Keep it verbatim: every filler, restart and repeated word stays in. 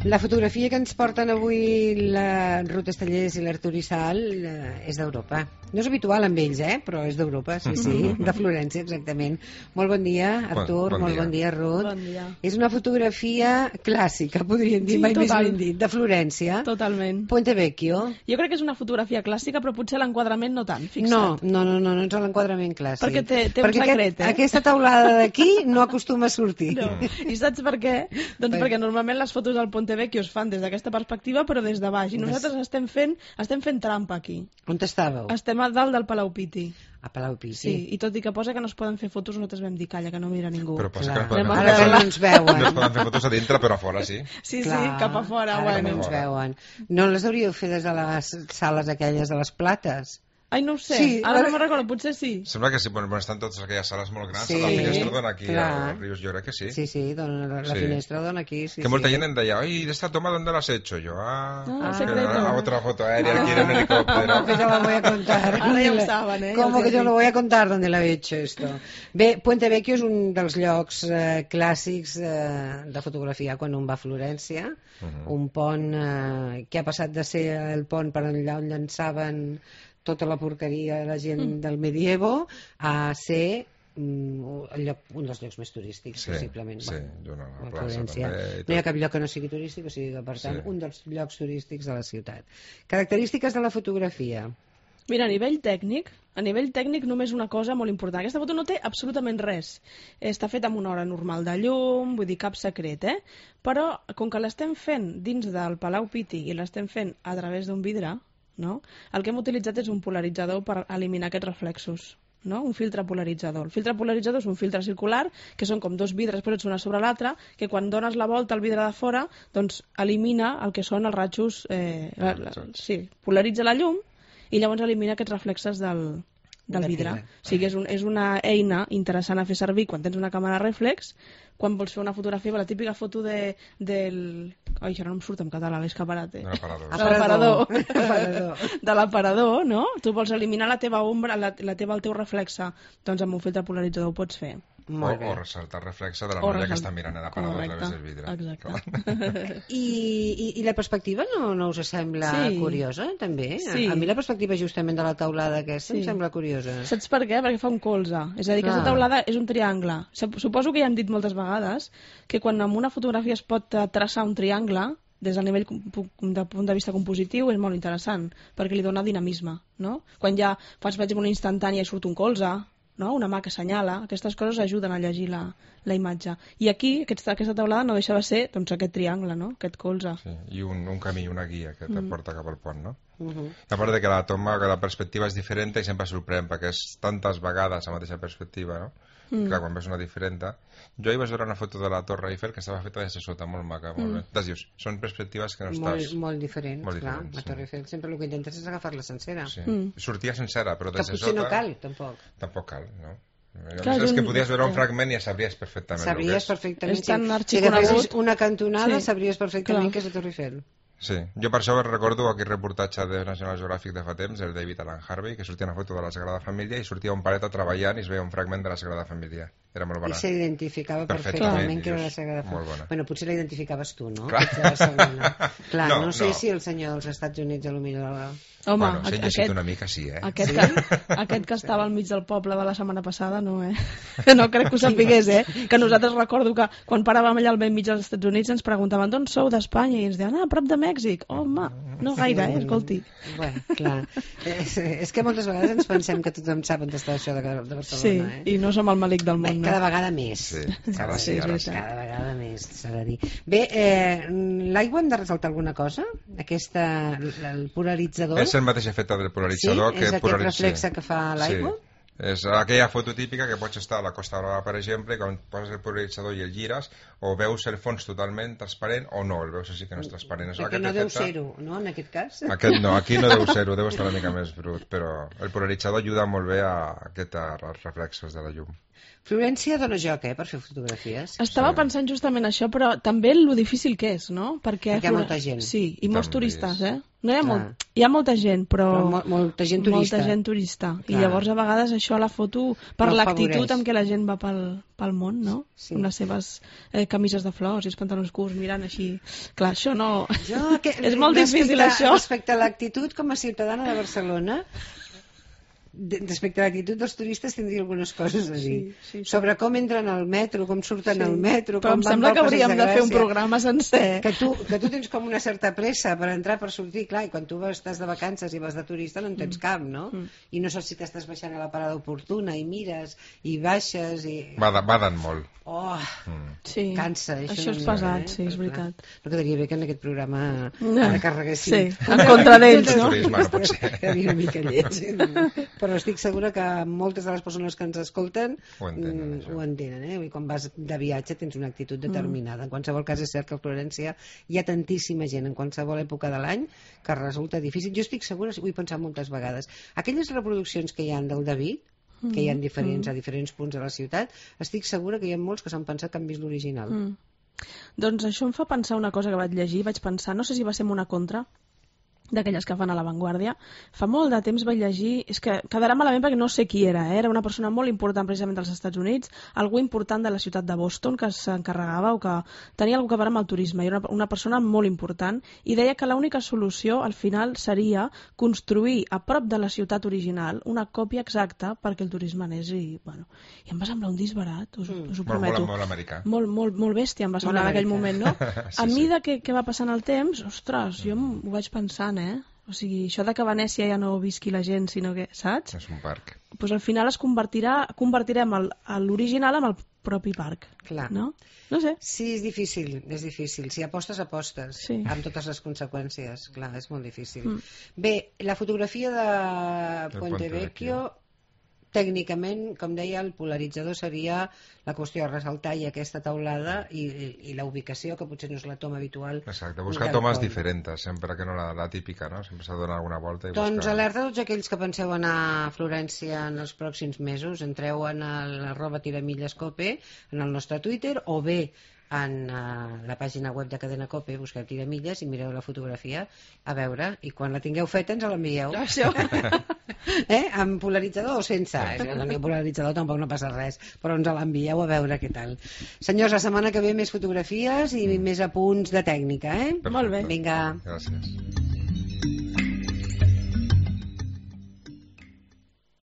La fotografia que ens porten avui la Ruth Estellés i l'Artur Isal eh, és d'Europa. No és habitual amb ells, eh? Però és d'Europa, sí, sí, de Florència, exactament. Molt bon dia, Artur, bon, bon molt dia. bon dia, Ruth. Bon dia. És una fotografia clàssica, podríem dir, sí, mai total. més ben dit, de Florència. Totalment. Puente Vecchio. Jo crec que és una fotografia clàssica, però potser l'enquadrament no tant, fixa't. No, no, no, no, no és l'enquadrament clàssic. Perquè té, té perquè un secret, aquest, eh? Aquesta taulada d'aquí no acostuma a sortir. No. I saps per què? Doncs perquè normalment les fotos del Ponte Vecchio es fan des d'aquesta perspectiva, però des de baix. I nosaltres estem fent, estem fent trampa aquí. On estàveu? Estem a dalt del Palau Piti. A Palau Piti. Sí, i tot i que posa que no es poden fer fotos, nosaltres vam dir, calla, que no mira ningú. Però posa Clar. que no Ara que no ens veuen. No es poden fer fotos a dintre, però a fora sí. Sí, Clar. sí, cap a fora. Ara que Bueno. no ens veuen. No les hauríeu fer des de les sales aquelles de les plates? Ai, no ho sé, Sí, ara ara- no me'n recordo, potser sí. Sembla que sí, bueno, estan totes aquelles sales molt grans, Sí, la finestra dona aquí clar. al Rius, jo crec que sí. Sí, sí, dona, la, la Sí. finestra dona aquí. Sí, Que molta sí. gent em deia, oye, ¿de esta toma dónde la has hecho? Yo, ah, Ah, es que secreto. a otra foto aérea aquí en un helicóptero. ¿Cómo que yo lo voy a contar? Ara ja ho saben, eh? ¿Cómo Els que yo dic. lo voy a contar dónde lo he hecho esto? Bé, Puente Vecchio és un dels llocs eh, clàssics eh, de fotografia quan un va a Florència, Mhm. un pont eh, que ha passat de ser el pont per allà on llançaven tota la porqueria de la gent Mm. del medievo a ser mm, el lloc, un dels llocs més turístics, Sí, possiblement. sí, d'una a plaça Florència. també i No hi ha tot. cap lloc que no sigui turístic, o sigui que, per tant, Sí. un dels llocs turístics de la ciutat. Característiques de la fotografia. Mira, a nivell tècnic, a nivell tècnic només una cosa molt important. Aquesta foto no té absolutament res. Està feta amb una hora normal de llum, vull dir, cap secret, eh? Però, com que l'estem fent dins del Palau Piti i l'estem fent a través d'un vidre, no? El que hem utilitzat és un polaritzador per eliminar aquests reflexos. No? Un filtre polaritzador. El filtre polaritzador és un filtre circular, que són com dos vidres posats una sobre l'altra, que quan dones la volta al vidre de fora, doncs elimina el que són els ratxos... Eh, la, la, sí, polaritza la llum i llavors elimina aquests reflexes del, del De vidre. vidre. O sigui, és, un, és una eina interessant a fer servir quan tens una càmera reflex, quan vols fer una fotografia, la típica foto de, del... Ai, ara no em surt en català, l'escaparate. De l'aparador. De l'aparador. Aparador. De l'aparador, no? Tu vols eliminar la teva ombra, la, la teva, el teu reflexe, doncs amb un filtre polaritzador ho pots fer. O, Molt bé. o ressaltar el reflexe de la O noia que ressalt- està mirant a l'aparador a través del vidre. Exacte. I, i, I la perspectiva no, no us sembla Sí. curiosa, també? Sí. A, a mi la perspectiva justament de la taulada aquesta Sí. em sembla curiosa. Saps per què? Perquè fa un colze. És a dir, Clar. aquesta taulada és un triangle. Sup- Suposo que ja hem dit moltes vegades que quan en una fotografia es pot eh, traçar un triangle, des del nivell com- pu- de punt de vista compositiu és molt interessant, perquè li dona dinamisme, no? Quan ja fas, per exemple, una instantània i surt un colze, no? Una mà que assenyala, aquestes coses ajuden a llegir la, la imatge. I aquí, aquesta, aquesta taulada no deixa de ser doncs, aquest triangle, no? Aquest colze. Sí, i un, un camí, una guia que te porta cap al pont, no? Uh -huh. A part de que la toma, que la perspectiva és diferent i sempre sorprèn, perquè és tantes vegades la mateixa perspectiva, no? Mm. Clar, quan ves una diferent... Jo hi vaig veure una foto de la Torre Eiffel que estava feta des de sota, molt maca, molt Mm. bé. Des dius, són perspectives que no Molt, estàs... molt diferents, Molt clar. diferents, La sí. Torre Eiffel sempre el que intentes és agafar-la sencera. Sí. Mm. Sortia sencera, però Que des de potser sota... no cal, tampoc. Tampoc cal, no? Clar, és és que un- podies veure un ja. fragment i ja sabries perfectament el que Sabries és. perfectament... És tan si- si arxiconegut. agafessis una cantonada, Sí. sabries perfectament Clar. que és la Torre Eiffel. Sí, jo per això recordo aquell reportatge de National Geographic de fa temps, el David Alan Harvey, que sortia una foto de la Sagrada Família i sortia un paret treballant i es veia un fragment de la Sagrada Família. Era molt I bona. s'identificava Perfectament, perfectament que era la dius, Sagrada molt bona. Família. Bueno, potser la identificaves tu, no? Clar. Que ets de Barcelona. Clar, no, No, no sé no. si el senyor dels Estats Units a lo millor... Home, bueno, si he aqu- llegit aquest, una mica, sí, eh? aquest, Sí? que, aquest que estava al mig del poble de la setmana passada, no, eh? No crec que ho sapigués, eh? Que nosaltres recordo que quan paràvem allà al vell mig dels Estats Units ens preguntaven d'on sou d'Espanya i ens deien, ah, a prop de Mèxic. Home, no gaire, eh? Escolti. Bueno, clar. És, és que moltes vegades ens pensem que tothom sap on està això de, de Barcelona, Sí, eh? i no som el malic del Bé, món, cada no? vegada més. Sí, cada, ara sí, sí, ara sí. sí. cada vegada més, s'ha de dir. Bé, eh, l'aigua hem de resaltar alguna cosa? Aquesta, el polaritzador? És el mateix efecte del polaritzador Sí? que És aquest polaritza. reflexe que fa l'aigua? Sí. És aquella foto típica que pots estar a la Costa Brava, per exemple, i quan poses el polaritzador i el gires, o veus el fons totalment transparent o no, el veus així que no és transparent. És Perquè aquest no deu efecte- ser-ho, no, en aquest cas? Aquest no, aquí no deu ser-ho, deu estar una mica més brut, però el polaritzador ajuda molt bé a aquests reflexos de la llum. Florència dona joc, eh, per fer fotografies. Estava Sí. pensant justament això, però també lo difícil que és, no? Perquè, Perquè hi ha molta gent. Sí, i molts També turistes, és. eh? No hi ha, molt, hi ha molta gent, però, però mo molta gent turista. Molta gent turista. I llavors a vegades això a la foto, per no l'actitud amb què la gent va pel, pel món, no? Sí. Amb les seves eh, camises de flors i els pantalons curts mirant així. Clar, això no... Jo, que, és molt difícil, això. Respecte a l'actitud, com a ciutadana de Barcelona, respecte a l'actitud dels turistes tindria algunes coses a dir. Sí, sí, sí. Sobre com entren al metro, com surten sí. al metro, però com em sembla que hauríem de, de fer un programa sencer. Que tu, que tu tens com una certa pressa per entrar, per sortir, clar, i quan tu vas, estàs de vacances i vas de turista no en tens mm. cap, no? Mm. I no saps si t'estàs baixant a la parada oportuna i mires i baixes i... Baden molt. Oh, mm. sí. cansa. Això, això és pesat, eh? Sí, és veritat. No quedaria bé que en aquest programa no. carreguéssim. Sí, en contra d'ells, no? Turisme, no pot ser. Quedaria una mica lleig. Però estic segura que moltes de les persones que ens escolten ho entenen, mm, ho entenen eh? I quan vas de viatge tens una actitud determinada. En qualsevol cas és cert que a Florència hi ha tantíssima gent en qualsevol època de l'any que resulta difícil. Jo estic segura, ho he pensat moltes vegades, aquelles reproduccions que hi ha del David, que hi ha diferents, a diferents punts de la ciutat, estic segura que hi ha molts que s'han pensat que han vist l'original. Mm. Doncs això em fa pensar una cosa que vaig llegir, vaig pensar, no sé si va ser una contra d'aquelles que fan a l'avantguàrdia. Fa molt de temps vaig llegir, és que quedarà malament perquè no sé qui era, eh? Era una persona molt important precisament dels Estats Units, algú important de la ciutat de Boston que s'encarregava o que tenia alguna cosa a veure amb el turisme, i era una, una persona molt important, i deia que l'única solució al final seria construir a prop de la ciutat original una còpia exacta perquè el turisme anés i, bueno, i em va semblar un disbarat, us, us ho prometo. Molt, molt americà. Molt, molt, molt bèstia em va semblar en aquell moment, no? sí, a mida sí. que, que va passant el temps, ostres, jo mm. ho vaig pensant, eh? O sigui, això de que a Venècia ja no visqui la gent, sinó que, saps? És un parc. Doncs pues al final es convertirà, convertirem l'original amb el propi parc. Clar. No? No sé. Sí, és difícil, és difícil. Si apostes, apostes. Sí. Amb totes les conseqüències. Clar, és molt difícil. Mm. Bé, la fotografia de Ponte Vecchio, tècnicament, com deia, el polaritzador seria la qüestió de ressaltar i aquesta taulada i, i, i la ubicació, que potser no és la toma habitual. Exacte, buscar tomes diferents, sempre que no la, la típica, no? Sempre s'ha de donar alguna volta i doncs buscar... alerta a tots aquells que penseu anar a Florència en els pròxims mesos, entreu en l'arroba tiramilles cope, en el nostre Twitter, o bé en uh, la pàgina web de Cadena Cope, busqueu tiramilles i mireu la fotografia, a veure, i quan la tingueu feta ens l'envieu. Això. eh? Amb polaritzador o sense? Si no teniu polaritzador tampoc no passa res, però ens l'envieu a veure què tal. Senyors, la setmana que ve més fotografies i mm. més apunts de tècnica, eh? Perfecte. Molt bé. Vinga. Gràcies.